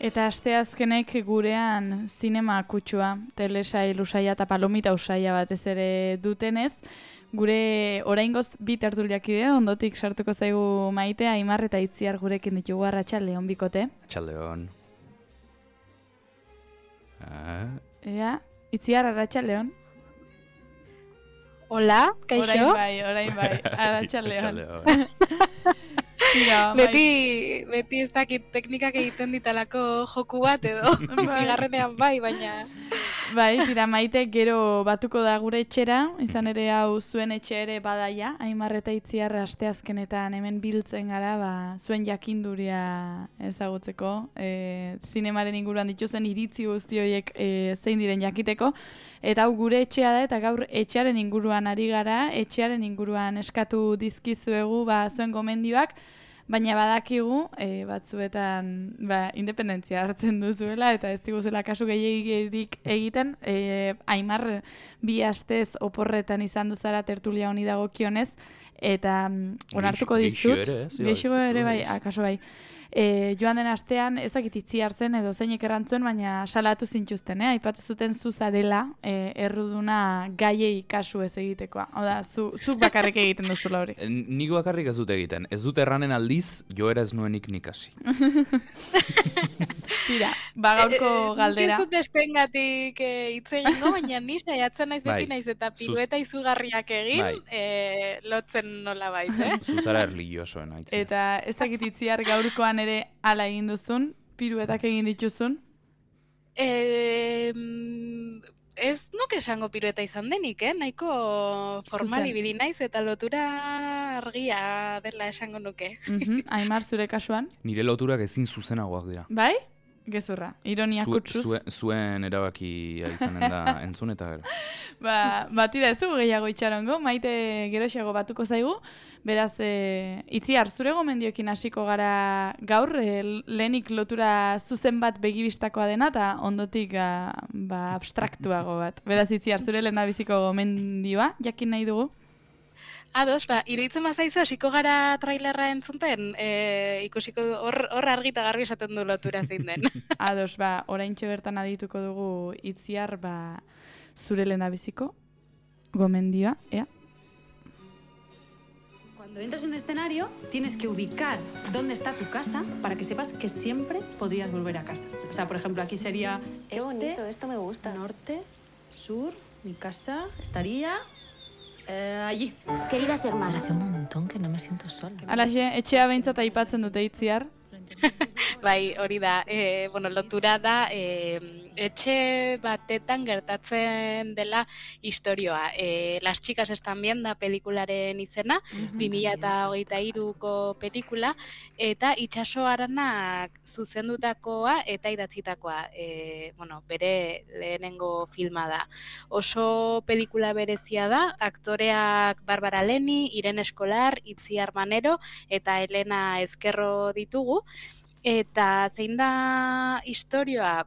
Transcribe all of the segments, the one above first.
Eta asteazkenek gurean zinema kutsua, telesail usaia eta palomita usaia batez ere dutenez, gure oraingoz bi tertuliakide ondotik sartuko zaigu Maite, Aimar eta Itziar gurekin ditugu. Arratsaldeon bikote. Arratsaldeon. Ea, Itziar, arratsaldeon. Hola, kaixo? Orain bai, arratsaldeon. Beti ez dakit teknikak egiten ditalako joku bat edo bigarrenean baina... Bai, tira Maite gero batuko da gure etxera, izan ere hau zuen etxe ere badaia, Aimar eta Itziar asteazkenetan hemen biltzen gara, zuen jakinduria ezagutzeko, zinemaren inguruan dituzen iritzi guzti horiek zein diren jakiteko, eta hau gure etxea da, eta gaur etxearen inguruan ari gara, etxearen inguruan eskatu dizkizuegu zuen gomendioak, baina badakigu batzuetan independentzia hartzen duzuela eta ez diguzela kasu gehiegirik egiten. Aimar bi astez oporretan izan duzara tertulia honi dagokionez eta onartuko dizut. Geixo ere bai, akaso bai. Joan den astean ez dakit Itziar zen edo zeinek errantzuen, baina salatu zintuzten, aipatu zuten zu zarela erruduna gaiei kasu ez egitekoa. Oda, zuk bakarrik egiten duzula hori. Nik bakarrik ez dut egiten. Ez dut erranen aldiz, joera ez nuenik nik hasi. Tira, gaurko galdera. Ez dut estengatik hitz egingo, baina ni saiatzen naiz beti naiz eta pirueta izugarriak egin, lotzen nola bait, Zuzara erlijiosoen haitzen. Eta ez dakit Itziar gaurkoan ere hala egin duzun, piruetak egin dituzun? Ez nuke esango pirueta izan denik, nahiko formal ibili naiz eta lotura argia dela esango nuke. Aimar, zure kasuan? Nire loturak ezin zuzenagoak dira. Bai? Gezurra, ironia kutsuz. Zuen erabakia izanen da entzun eta gero. Tira, ez dugu gehiago itxarongo, Maite geroxeago batuko zaigu. Beraz, Itziar, zure gomendioekin hasiko gara gaur, lehenik lotura zuzen bat begibistakoa dena, eta ondotik abstraktuago bat. Beraz, Itziar, zure lehendabiziko gomendioa, jakin nahi dugu? Ados, iruditzen bazaizu hasiko gara trailerra entzunten, ikusiko hor argi eta garbi esaten du lotura zein den. Ados, oraintxe bertan adituko dugu Itziar, zure lehendabiziko gomendioa, ea? Cuando entras en el escenario, tienes que ubicar dónde está tu casa para que sepas que siempre podrías volver a casa. O sea, por ejemplo, aquí sería Qué bonito, esto me gusta. Norte, sur, mi casa estaría allí. Queridas hermanas. Hace un montón que no me siento sola. Alaxe, etxea behintzat aipatzen dute Itziar. Bai, hori da, lotura da, etxe batetan gertatzen dela istorioa. Las chicas están bien da pelikularen izena, 2023ko pelikula, eta Itxaso Aranak zuzendutakoa eta idatzitakoa, bere lehenengo filma da. Oso pelikula berezia da, aktoreak Barbara Leni, Irene Eskolar, Itziar Manero eta Elena Ezkerro ditugu. Eta zein da istorioa,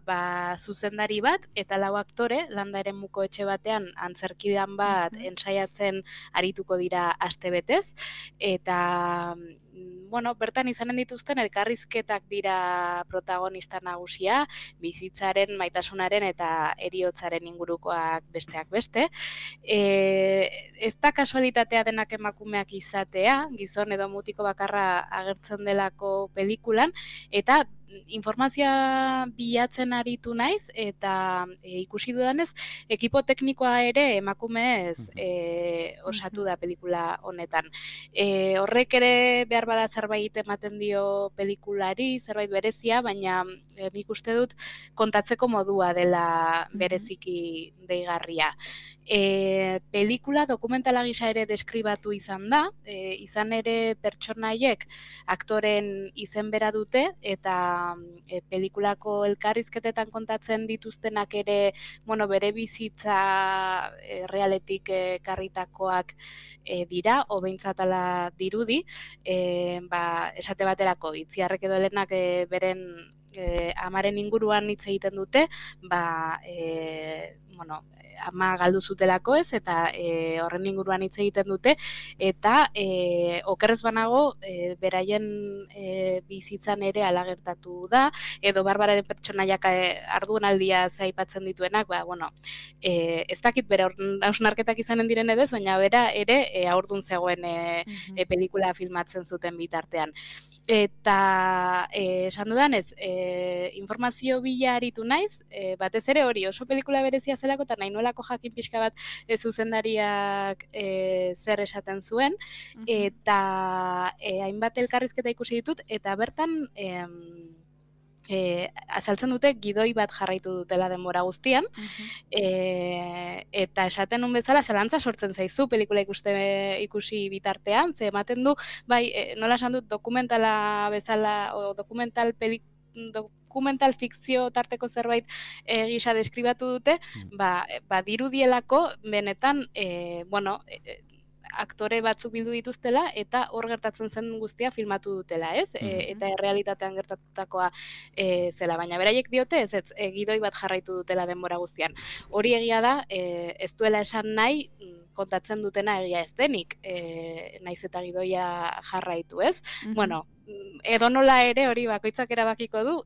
zuzendari bat eta 4 aktore landa eremuko etxe batean antzerkidan bat ensaiatzen arituko dira astebetez eta bertan izanen dituzten elkarrizketak dira protagonista nagusia, bizitzaren, maitasunaren eta heriotzaren ingurukoak besteak beste. Ez da kasualitatea denak emakumeak izatea, gizon edo mutiko bakarra agertzen delako pelikulan, eta informazioa bilatzen aritu naiz eta ikusi dudanez ekipo teknikoa ere emakumez osatu da pelikula honetan. Horrek ere behar bada zerbait ematen dio pelikulari, zerbait berezia, baina nik uste dut kontatzeko modua dela bereziki deigarria. Pelikula dokumentala gisa ere deskribatu izan da, izan ere pertsonaiek aktoren izen bera dute eta pelikulako elkarrizketetan kontatzen dituztenak ere bere bizitza realetik karritakoak dira, behintzat ala dirudi, esate baterako Itziarrek edo Elenak beren amaren inguruan hitz egiten dute, ama galdu zutelako ez, eta horren inguruan hitz egiten dute, eta okerrez banago, beraien bizitzan ere hala gertatu da, edo Barbararen pertsonaiak ardunaldia aipatzen dituenak, ez dakit bere hausnarketak izanen diren edez, baina bera ere haurdun zegoen pelikula filmatzen zuten bitartean. Eta esan dudan ez, informazio bila aritu naiz, batez ere hori oso pelikula berezia zelako, eta nahi nuelako jakin pixka bat zer esaten zuen, eta hainbat elkarrizketa ikusi ditut, eta bertan azaltzen dute gidoi bat jarraitu dutela denbora guztian, eta esaten nun bezala zelantza sortzen zaizu pelikula ikusi bitartean, ze ematen du, nola esan dut dokumentala bezala, o dokumental fikzio tarteko zerbait gisa deskribatu dute, dirudielako benetan, aktore batzuk bildu dituztela eta hor gertatzen zen guztia filmatu dutela, ez? Eta errealitatean gertatutakoa zela, baina beraiek diote ez gidoi bat jarraitu dutela denbora guztian. Hori egia da, ez duela esan nahi kontatzen dutena egia ez denik, naiz eta gidoia jarraitu, ez? Bueno, edonola ere hori bakoitzak erabakiko du,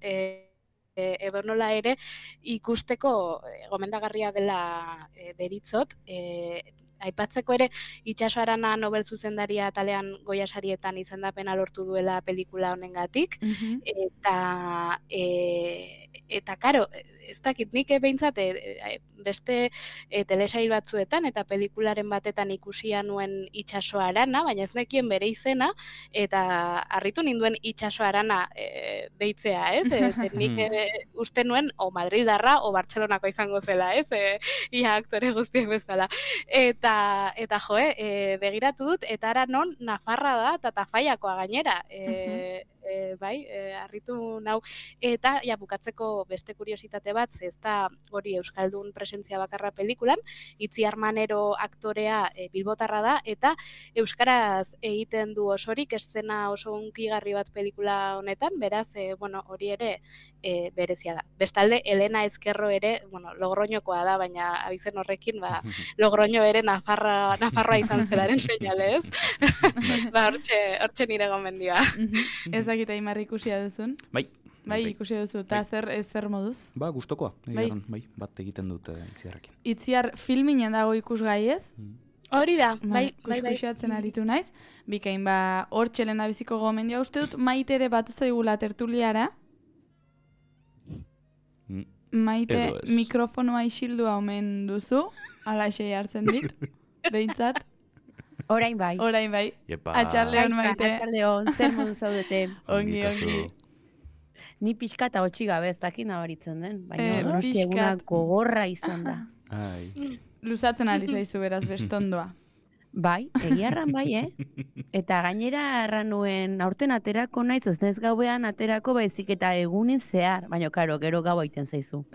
edonola ere ikusteko gomendagarria dela deritzot, aipatzeko ere Itxaso Arana Nobel zuzendaria atalean Goya sarietan izendapena lortu duela pelikula honengatik, eta karo, ez dakit nik behintzat beste telesail batzuetan eta pelikularen batetan ikusia nuen Itxaso Arana, baina ez nekien bere izena, eta harritu ninduen Itxaso Arana deitzea, ez? Nik uste nuen o Madrildarra o Bartzelonako izango zela, ez? Ia aktore guztiek bezala. Eta begiratu dut, eta ara non Nafarra da, eta Tafaiakoa gainera, harritu nau. Eta, bukatzeko beste kuriositate bat, ez da hori euskaldun presentzia bakarra pelikulan, Itziar Manero aktorea bilbotarra da, eta euskaraz egiten du osorik, eszena oso hunkigarri bat pelikula honetan, beraz, hori ere berezia da. Bestalde, Elena Ezkerro ere, Logroñokoa da, baina abizen horrekin, Logroño ere Nafarroa izan zelaren seinale, ez? Hortxe nire gomendioa. Ez dakit Aimar ikusia duzun? Bai, ikusi duzu, eta zer moduz? Gustokoa, bat egiten dut Itziarrekin. Itziar filminen dago ikusgai ez? Hori da, bai. Kuskusiatzen aritu naiz. Bikain, hor txelen da biziko gomendioa. Uste dut, Maite ere batu zaigula tertuliara. Maite, mikrofonoa isildua omen duzu, alaxei hartzen dit, behintzat. Orain bai. Atxaldeon, Maite. Atxaldeon, zer modu zaudete. Ongi. Ni pixka eta hotxi gabe ez dakin nabaritzen den, baina Donostia eguna gogorra izan da. Luzatzen ari zaizu beraz bestondoa. Bai, egiarran bai, Eta gainera erran nuen aurten aterako naiz, ez naiz gauean aterako baizik eta egunin zehar, baina karo, gero gau egiten zaizu.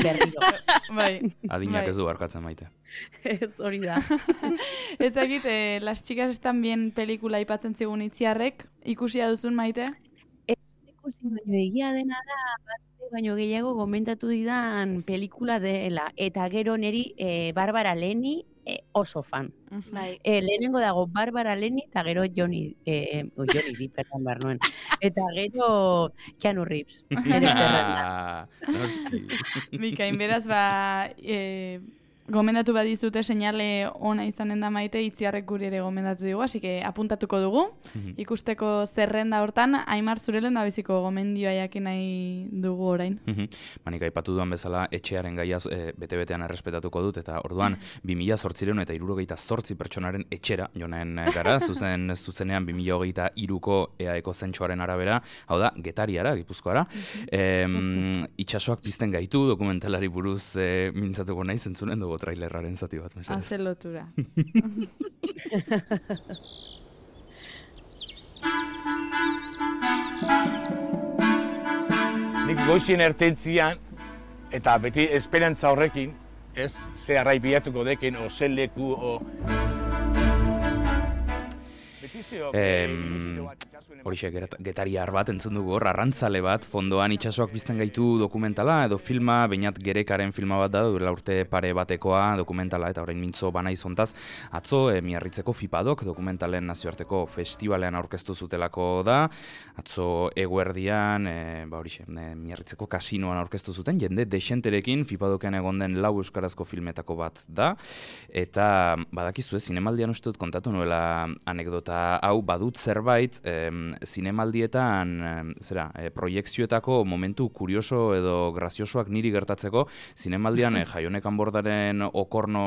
Berriro. Bai. Adinak ez du barkatzen Maite. Ez hori da. Ez dakit, Las Chicas Están Bien pelikula aipatzen zigun Itziarrek, ikusia duzun Maite? Ikusi baino egia dena da, baino gehiago komentatu didan pelikula dela, eta gero neri Barbara Leni oso fan. Lehenengo dago Barbara Leni eta gero Johnny Depp, behar nuen. Eta gero Keanu Reeves. Bikain, beraz, gomendatu badizute seinale ona izanen da Maite, Itziarrek guri ere gomendatu dugu, así que apuntatuko dugu. Ikusteko zerrenda hortan, Aimar zurelen da biziko gomendioa jakin nahi dugu orain. Manik aipatu duan bezala, etxearen gaiaz bete-betean errespetatuko dut, eta orduan 2008 pertsonaren etxera jonen gara, zuzenean 2023ko EAEko zentsuaren arabera, hau da, Getariara, Gipuzkoara. Itxasoak pizten gaitu dokumentalari buruz mintzatuko nahi zentzunen dugu trailerraren zati bat, mesedez. Hazen lotura. Nik goizien ertentzian, eta beti esperantza horrekin, ze arrai bilatuko dekin, o ze leku, Horixe, getariar bat entzun dugu hor, arrantzale bat, fondoan itsasoak pizten gaitu dokumentala edo filma, bainat Gerekaren filma bat da, duela urte pare batekoa dokumentala, eta orain mintzo bana izontaz, atzo Miarritzeko Fipadok dokumentalen nazioarteko festivalean aurkeztu zutelako da, atzo eguerdian, horixe, Miarritzeko kasinoan aurkeztu zuten, jende desenterekin Fipadoken egon den lau euskarazko filmetako bat da, eta badakizu zinemaldian uste dut kontatu nuela anekdota hau badut zerbait, zinemaldietan, proiekzioetako momentu kurioso edo graziosoak niri gertatzeko, zinemaldian Jaionek Anbordaren Okorno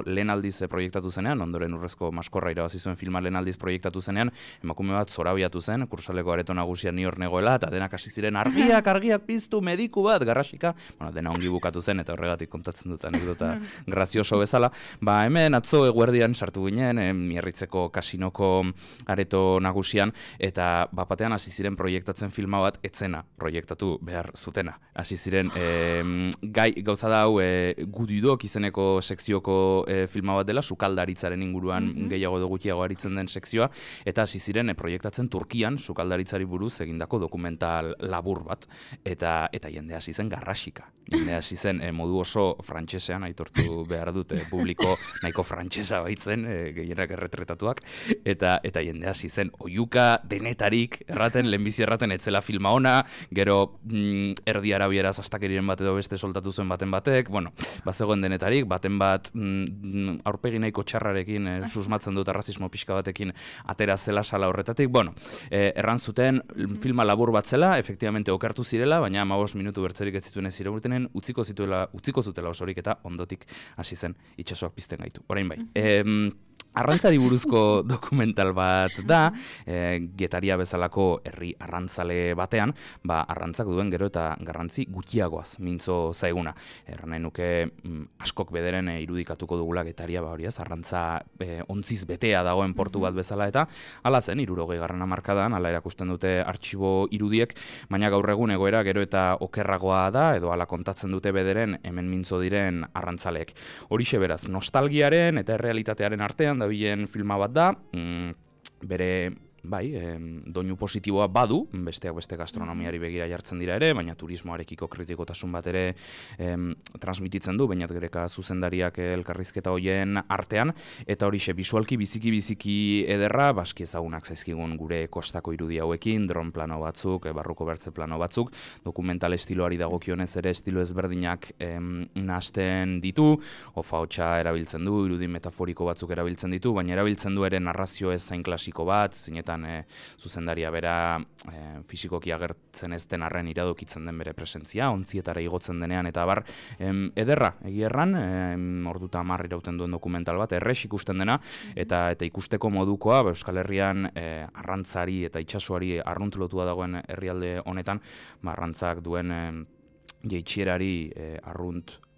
lehen aldiz proiektatu zenean, ondoren Urrezko Maskorra irabazi zuen filma lehen aldiz proiektatu zenean, emakume bat zorabiatu zen, kursaleko areto nagusian ni hor negoela, eta denak hasi ziren argiak piztu, mediku bat, garrasika, dena ongi bukatu zen, eta horregatik kontatzen dut anekdota grazioso bezala. Hemen atzo eguerdian sartu ginen, Miarritzeko kasinoko areto nagusian, eta bapatean hasi ziren proiektatzen filma bat etzena proiektatu behar zutena. Hasi ziren gauza da hau Gudidok izeneko sekzioko filma bat dela, sukaldaritzaren inguruan gehiago edo gutxiago aritzen den sekzioa, eta hasi ziren proiektatzen Turkian sukaldaritzari buruz egindako dokumental labur bat, eta jende hasi zen garrasika. Jende hasi zen modu oso frantsesean, aitortu behar dut, publiko nahiko frantsesa baitzen, gehienak erretretatuak, eta jende hasi zen oiuka denetarik erraten, lehenbizi erraten etzela filma ona, gero erdi arabieraz astakeriren bat edo beste soltatu zuen baten batek, bazegoen denetarik, baten bat aurpegi nahiko txarrarekin susmatzen dut arrazismo pixka batekin atera zela sala horretatik, erran zuten filma labur bat zela, efektibamente okertu zirela, baina 15 minutu bertzerik ez zituen ez iraurtenen, utziko zutela osorik eta ondotik hasi zen itsasoak pizten gaitu. Orain bai. Arrantzari buruzko dokumental bat da, Getaria bezalako herri arrantzale batean, arrantzak duen gero eta garrantzi gutxiagoaz mintzo zaiguna. Erran nahi nuke askok bederen irudikatuko dugula Getaria, arrantza ontziz betea dagoen portu bat bezala, eta hala zen, 60. hamarkadan, hala erakusten dute artxibo irudiek, baina gaur egun egoera gero eta okerragoa da, edo hala kontatzen dute bederen hemen mintzo diren arrantzaleek. Horixe beraz, nostalgiaren eta errealitatearen artean dabilen filma bat da, bere doinu positiboa badu, besteak beste gastronomiari begira jartzen dira ere, baina turismoarekiko kritikotasun bat ere transmititzen du, bainat Gereka zuzendariak elkarrizketa hoien artean, eta horixe bisualki biziki ederra, baski ezagunak zaizkigun gure kostako irudi hauekin, dron plano batzuk, barruko bertze plano batzuk, dokumental estiloari dagokionez ere estilo ezberdinak nahasten ditu, ofa-hotsa erabiltzen du, irudi metaforiko batzuk erabiltzen ditu, baina erabiltzen du ere narrazio ez zain klasiko bat, zinetan zuzendaria bera fisikoki agertzen ez den arren iradokitzen den bere presentzia, ontzietara igotzen denean, eta ederra, egierran, orduta 10 irauten duen dokumental bat, errex ikusten dena, eta ikusteko modukoa, Euskal Herrian arrantzari eta itsasoari arruntlotua dagoen herrialde honetan, arrantzak duen jeitxierari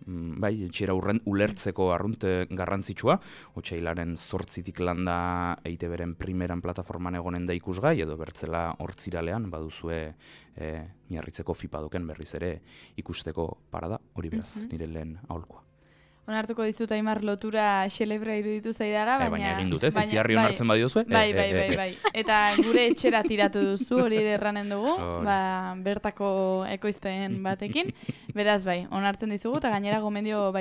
etxera ulertzeko arrunt garrantzitsua, otsailaren 8 landa EITB-ren primeran plataforman egonen da ikusgai, edo bertzela hortziralean, baduzue Miarritzeko Fipadoken berriz ere ikusteko parada, hori beraz, nire lehen aholkoa. Onartuko dizut Aimar lotura xelebra iruditu zaidala, baina egin dut, Itziarri onartzen badiozue? Bai. Eta gure etxera tiratu duzu, hori erranen dugu, bertako ekoizpen batekin. Beraz, onartzen dizugu, eta gainera gomendio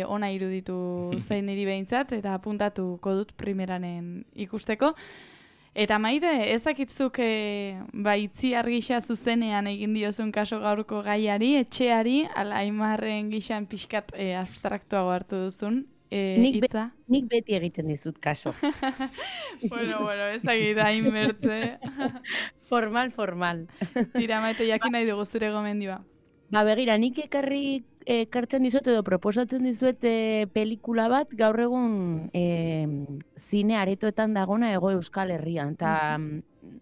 ona iruditu zain niri behintzat, eta apuntatuko dut primeranen ikusteko. Eta Maite, ezakitzuk Itziar gisa zuzenean egin diozun kaso gaurko gaiari, etxeari, ala Aimarren gisan pixkat abstraktuago hartu duzun hitza? Nik beti egiten dizut kaso. Bueno, ez dakit hain bertze. Formal. Tira, Maite, jakin nahi dugu zure gomendioa. Begira, nik ekartzen dizuet edo proposatzen dizuet pelikula bat gaur egun zine aretoetan dagona Hego Euskal Herrian. Eta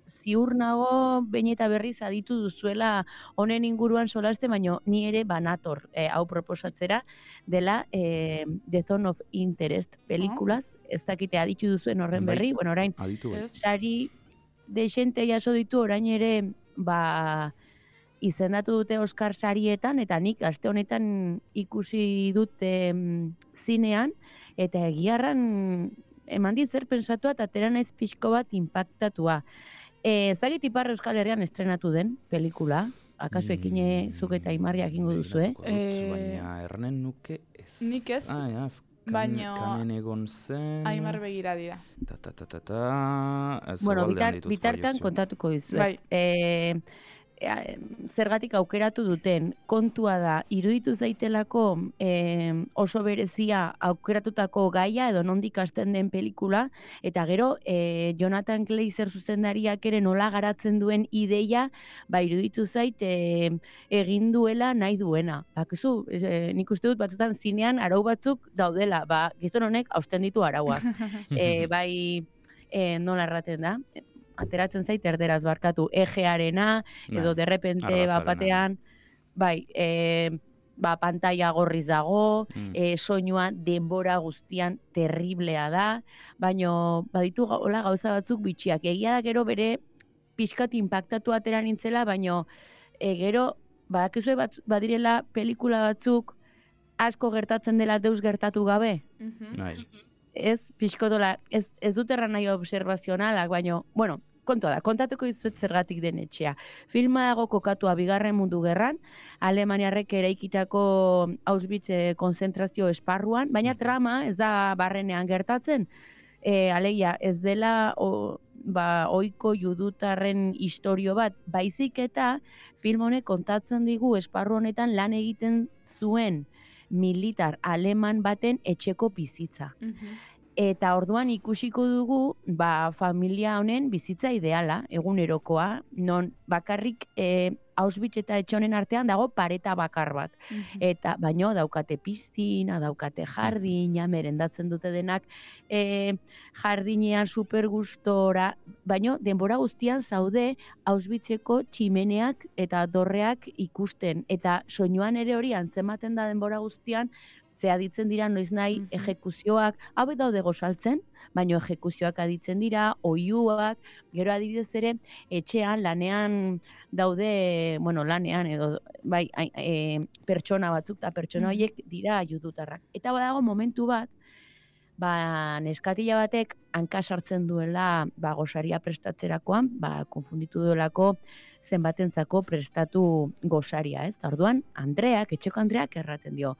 ziur nago behin eta berriz aditu duzuela honen inguruan solaste, baina ni ere banator hau proposatzera dela The Zone of Interest pelikulaz. Ez dakite aditu duzuen horren berri. Bueno, orain, sari desente jaso ditu orain ere izendatu dute Oscar sarietan, eta nik aste honetan ikusi dute zinean, eta egiarran eman zer pensatua eta atera naiz pixko bat impactatua. Zagit Ipar Euskal Herrian estrenatu den pelikula, akaso ekine zuk eta Imarriak ingo duzu, Baina ernen nuke ez. Nik ez. Baina Kamen egon zen... Aimar begira dira. Bueno, bitartan kontatuko dizuet. Bai. Zergatik aukeratu duten, kontua da, iruditu zaitelako oso berezia aukeratutako gaia edo nondik hasten den pelikula, eta gero Jonathan Glazer zuzendariak ere nola garatzen duen ideia, iruditu zait egin duela nahi duena. Bakizu, nik uste dut batzutan zinean arau batzuk daudela, gizon honek hausten ditu arauak. Nola erraten da? Ateratzen zait erderaz barkatu, egearena, edo derrepente batean, pantalla gorriz dago, soinua denbora guztian terriblea da, baina baditu hola gauza batzuk bitxiak. Egia da gero bere pixkat inpaktatu atera nintzela, baina gero badakizue badirela pelikula batzuk asko gertatzen dela deus gertatu gabe. Ez, pixkotola, ez dut erran nahi observazionalak, baina, bueno, kontua da, kontatuko dizuet zergatik den etxea. Filma dago kokatua Bigarren Mundu Gerran, Alemaniarrek eraikitako Auschwitz konzentrazio esparruan, baina trama ez da barrenean gertatzen. Alegia, ez dela ohiko judutarren istorio bat, baizik eta film honek kontatzen digu esparru honetan lan egiten zuen militar aleman baten etxeko bizitza. Eta orduan ikusiko dugu familia honen bizitza ideala, egunerokoa, non bakarrik Auschwitz eta etxe honen artean dago pareta bakar bat. Eta baino daukate piztina, daukate jardina, merendatzen dute denak jardinean super gustora, baino denbora guztian zaude Auschwitzeko tximeneak eta dorreak ikusten. Eta soinuan ere hori antzematen da denbora guztian, zea ditzen dira noiz nahi ejekuzioak, hau daude gozaltzen, baina ejekuzioak aditzen dira, oiuak, gero adibidez ere, etxean, lanean daude, lanean edo, pertsona batzuk, eta pertsona horiek dira judutarrak. Eta badago momentu bat, neskatila batek hanka sartzen duela gosaria prestatzerakoan, konfunditu duelako zenbatentzako prestatu gosaria, ez? Orduan, etxeko Andreak erraten dio,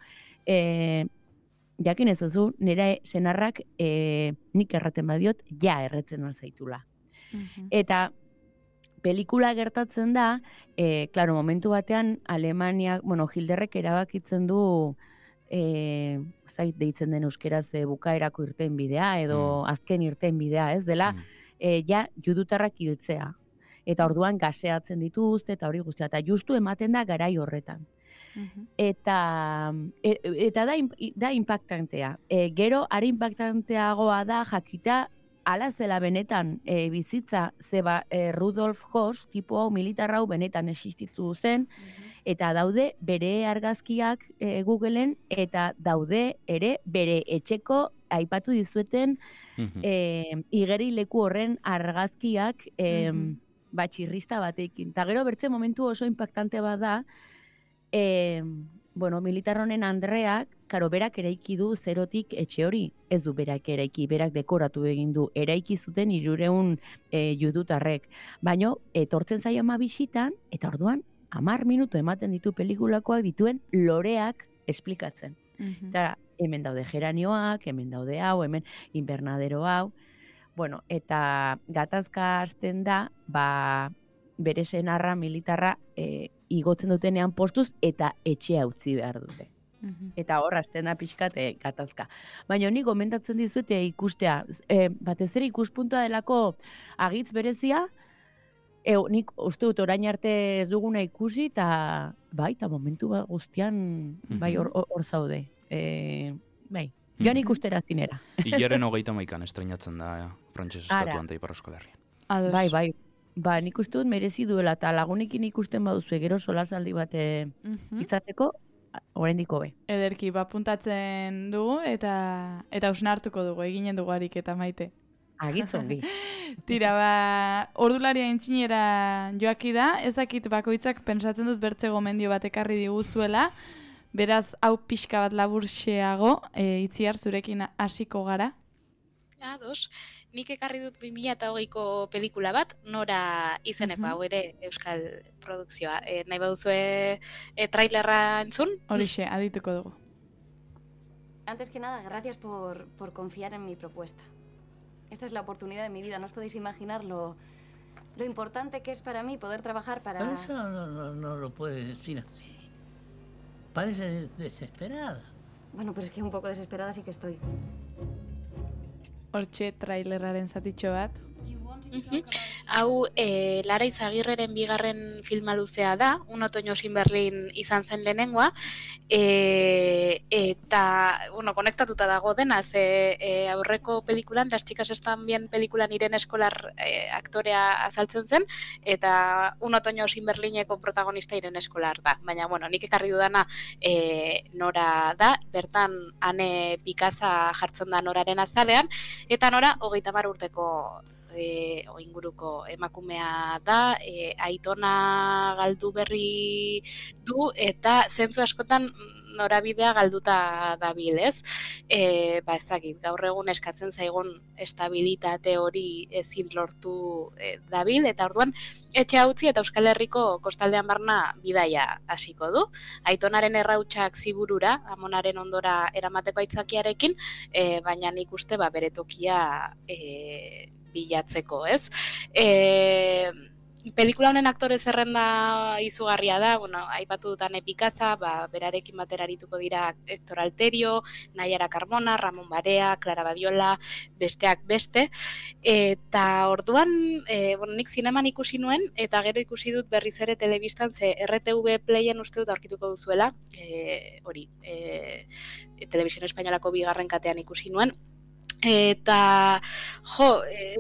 jakin ez duzu, nire senarrak nik erraten badiot, erretzen alzaitula. Eta pelikula gertatzen da, momentu batean Alemaniak, Hilderrek erabakitzen du, zait deitzen den euskeraz bukaerako irten bidea, edo azken irten bidea, ez dela, judutarrak hiltzea. Eta orduan gaseatzen dituzte, eta hori guztia, eta justu ematen da garai horretan. Eta da impactantea. Gero, are impactanteagoa da jakita ala zela benetan bizitza, zeba Rudolf Höss, tipo hau militar hau benetan existitu zen, eta daude bere argazkiak Googleen, eta daude ere bere etxeko aipatu dizueten igerileku horren argazkiak txirrista batekin. Eta gero bertze momentu oso impactante bat da, militar honen Andreak, berak eraiki du zerotik etxe hori, ez du berak eraiki, berak dekoratu egin du, eraiki zuten 300 judutarrek. Baina, etortzen zaio ama bisitan, eta orduan, 10 minutu ematen ditu pelikulakoak dituen loreak esplikatzen. Eta hemen daude geranioak, hemen daude hau, hemen invernadero hau. Eta gatazka hasten da, bere senarra militarra igotzen dutenean postuz eta etxea utzi behar dute. Eta hor hasten da pixkat gatazka. Baina nik gomendatzen dizute ikustea, batez ere ikuspuntua delako agitz berezia, nik uste dut orain arte ez duguna ikusi, eta momentu guztian hor zaude. Joan ikustera zinera. Hilaren 31an estreinatzen da frantses estatuan eta Ipar Euskal Herrian. Nik uste dut merezi duela, eta lagunekin ikusten baduzu gero solasaldi bat izateko, oraindik hobe. Ederki, puntatzen dugu, eta hausnartuko dugu, eginen dugu ariketa Maite. Agitzongi. Tira, ordularia intzinera joaki da, ezakit bakoitzak pentsatzen dut bertze gomendio bat ekarri diguzuela, beraz hau pixka bat laburxeago, Itziar zurekin hasiko gara. Ados, nik ekarri dut 2008ko pelikula bat, Nora izeneko, hau ere euskal produkzioa. Nahi baduzue trailerra entzun? Horixe, adituko dugu. Antes que nada, gracias por confiar en mi propuesta. Esta es la oportunidad de mi vida. No os podéis imaginar lo importante que es para mí poder trabajar para... Pero eso no lo puedes decir así. Parece desesperada. Bueno, pero es que un poco desesperada sí que estoy. Hortxe trailerraren zatitxo bat. Hau, Lara Izagirreren bigarren filma luzea da, Un otoño sin Berlin izan zen lehenengoa, eta, bueno, konektatuta dago dena, aurreko pelikulan, Las chicas están bien pelikulan Irene Eskolar aktorea azaltzen zen, eta Un otoño sin Berlineko protagonista Irene Eskolar da. Baina, bueno, nik ekarri dudana Nora da, bertan Ane Pikaza jartzen da Noraren azalean, eta Nora 30 urteko inguruko emakumea da, aitona galdu berri du eta zentzu askotan norabidea galduta dabil, ez? Ez dakit, gaur egun eskatzen zaigun estabilitate hori ezin lortu dabil, eta orduan etxe utzi eta Euskal Herriko kostaldean barna bidaia hasiko du. Aitonaren errautsak Ziburura, amonaren ondora eramateko aitzakiarekin, baina nik uste bere tokia bilatzeko, ez? Pelikula honen aktore zerrenda izugarria da, bueno, aipatu dut Ane Pikaza, berarekin batera arituko dira Hector Alterio, Naiara Carmona, Ramon Barea, Clara Badiola, besteak beste, eta orduan, nik zineman ikusi nuen, eta gero ikusi dut berriz ere telebistan, ze RTV Playen uste dut aurkituko duzuela, Televisión Espainolako bigarren katean ikusi nuen, eta,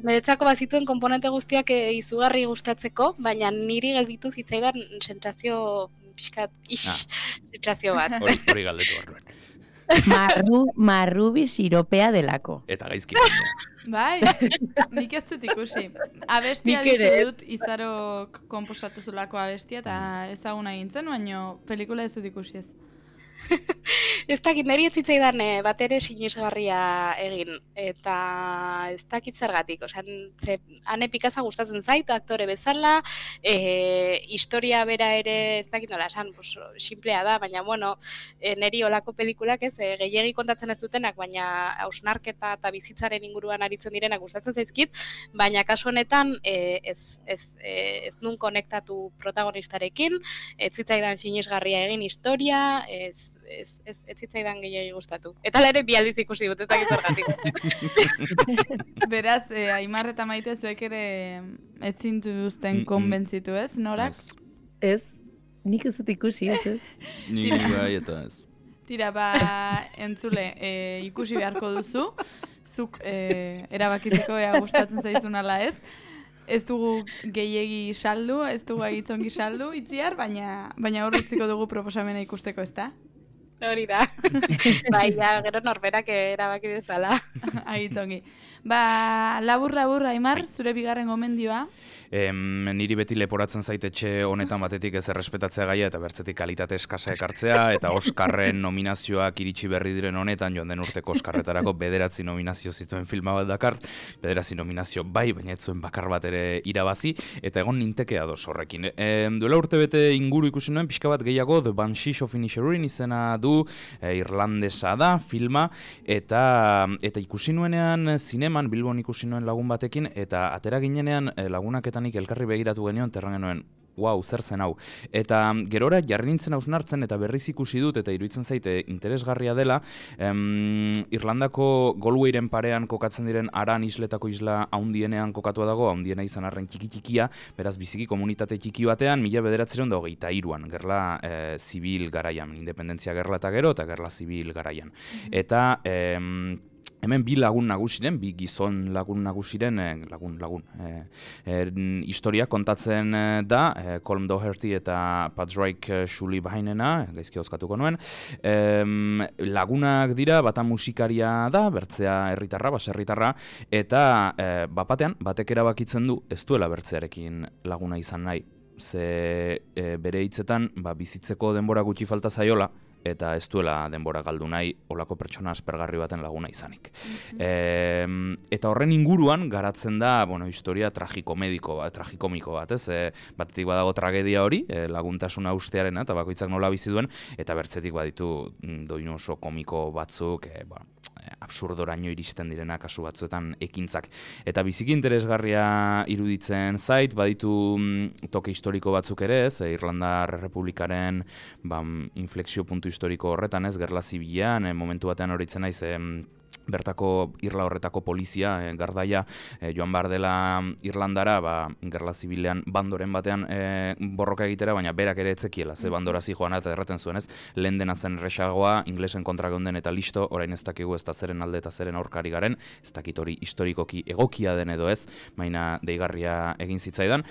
niretzako bazituen konponente guztiak izugarri gustatzeko, baina niri gelditu zitzaidan sentsazio pixkat, sentsazio bat. Hori galdetu barruen. Marrubi siropea delako. Eta gaizki baina. Bai, nik ez dut ikusi. Abestia ditu dut, Izarok konposatu zulako abestia, eta ezaguna egintzen, baina pelikula ez dut ikusi ez. Ez dakit, niri ez zitzaidan bat ere sinesgarria egin, eta ez dakit zergatik, Ane Pikaza gustatzen zait, aktore bezala, historia bera ere ez dakit nola esan, simplea da, baina bueno, niri olako pelikulak ez, gehiegi kontatzen ez dutenak, baina hausnarketa eta bizitzaren inguruan aritzen direnak gustatzen zaizkit, baina kasu honetan ez nun konektatu protagonistarekin, ez zitzaidan sinesgarria egin historia, ez zitzaidan gehiagi gustatu. Eta ere bi aldiz ikusi dut, ez dakit zergatik. Beraz, Aimar eta Maite zuek ere ez zintuzten konbentzitu, ez, Norak? Ez, nik ez dut ikusi, ez. Nik bai eta ez. Tira, entzule, ikusi beharko duzu, zuk erabakitzeko gustatzen zaizun ala ez. Ez dugu gehiegi saldu, ez dugu agitzongi saldu, itziar, baina horretziko dugu proposamena ikusteko, ez da? Hori da. Bai, gero norberak erabaki bezala. Agitzongi. Labur, Aimar, zure bigarren gomendioa? Niri beti leporatzen zaitetxe honetan batetik ez errespetatzea gaia eta bertzetik kalitate eskasa ekartzea eta Oskarren nominazioak iritsi berri diren honetan, joan den urteko Oskarretarako 9 nominazio zituen filma bat dakart, 9 nominazio bai, baina ez zuen bakar bat ere irabazi, eta egon nintekea doz horrekin. Duela urte bete inguru ikusi nuen, pixka bat gehiago, The Banshees of Inisherin izena du, irlandesa da filma, eta ikusi nuenean zineman, Bilbon ikusi nuen lagun batekin, eta atera ginenean lagunak eta nik elkarri begiratu genion, terran genuen, wow, zer zen hau. Eta gerora jarri nintzen hausnartzen eta berriz ikusi dut, eta iruditzen zaite interesgarria dela, Irlandako Galwayren parean kokatzen diren Aran isletako isla haundienean kokatua dago, haundiena izan arren txiki-txikia, beraz biziki komunitate txiki batean, 1923an, gerla zibil garaian, independentzia gerla eta gero, eta gerla zibil garaian. Eta hemen bi lagun nagusiren, bi gizon lagun nagusiren, historia kontatzen da, Colm Doherty eta Padraig Shulibainena, gaizki oskatuko nuen, lagunak dira, bata musikaria da, bertzea herritarra, baserritarra, eta bapatean, batek erabakitzen du, ez duela bertzearekin laguna izan nahi, ze bere hitzetan bizitzeko denbora gutxi falta zaiola, eta ez duela denbora galdu nahi olako pertsona aspergarri baten laguna izanik. Eta horren inguruan garatzen da, historia tragikomiko bat, ez? Batetik badago tragedia hori, laguntasuna ustearena, eta bakoitzak nola bizi duen, eta bertzetik baditu doinu oso komiko batzuk, absurdoraino iristen direna kasu batzuetan ekintzak. Eta biziki interesgarria iruditzen zait, baditu toke historiko batzuk ere, ez? Irlandar Errepublikaren inflexio puntu historiko horretan, ez? Gerla zibilean, momentu batean horitzen naiz, bertako Irla horretako polizia, gardaia, joan behar dela Irlandara, gerla zibilean bandoren batean borroka egitera, baina berak ere etzekiela, ze bandora zijoan eta erraten zuen, ez? Lehen dena zen erresagoa, inglesen kontra geunden eta listo, orain ez dakigu ez da zeren alde eta zeren aurkari garen, ez dakit hori historikoki egokia den edo ez, baina deigarria egin zitzaidan.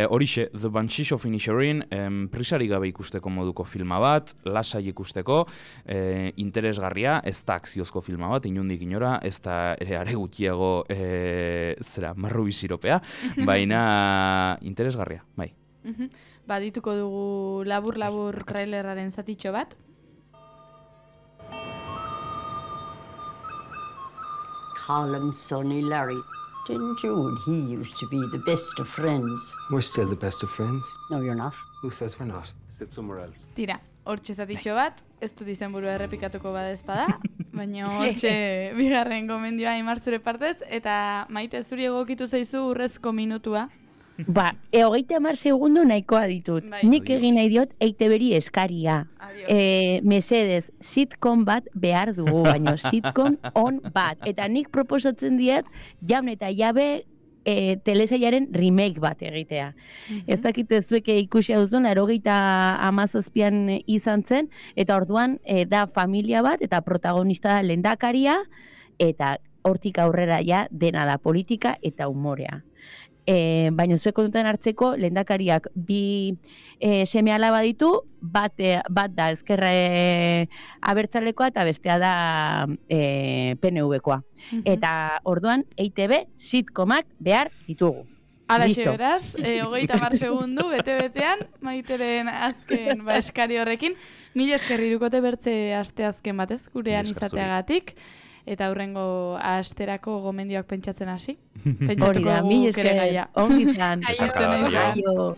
Horixe, The Banshees of Inisherin, prisari gabe ikusteko moduko filma bat, lasai ikusteko, interesgarria, ez da akziozko filma bat, inundik inora, ez da ere are gutxiago marru biziropea, baina interesgarria, bai. Dituko dugu labur trailerraren zatitxo bat. Callum, Sonny, Larry. Didn't you and he used to be the best of friends? We're still the best of friends. No, you're not. Who says we're not? Sit somewhere else. Tira, hortxe zatitxo bat, ez dut izenburua errepikatuko badezpada, baina hortxe bigarren gomendioa Aimar zure partez, eta Maite zuri egokitu zaizu urrezko minutua. 30 segundo nahikoa ditut. Nik egin nahi diot EITB-ri eskaria. Mesedez, sitcom bat behar dugu, baina sitcom on bat. Eta nik proposatzen diet, Jaun eta Jabe telesailaren remake bat egitea. Ez dakite zuek ikusi duzuen, 97an izan zen, eta orduan da familia bat, eta protagonista da lehendakaria, eta hortik aurrera ja dena da politika eta umorea. Baina zuek kontutan hartzeko, lehendakariak bi seme-alaba ditu, bat da ezkerra abertzalekoa eta bestea da PNV-koa. Eta orduan EITB sitcomak behar ditugu. Alaxe beraz, 30 segundu, bete-betean, Maiteren azken eskari horrekin. Mila esker Hirukote bertze aste azken batez, gurean izateagatik. Eta hurrengo asterako gomendioak pentsatzen hasi. Pentsatuko dugu kere gaia. Ongi izan. Aio.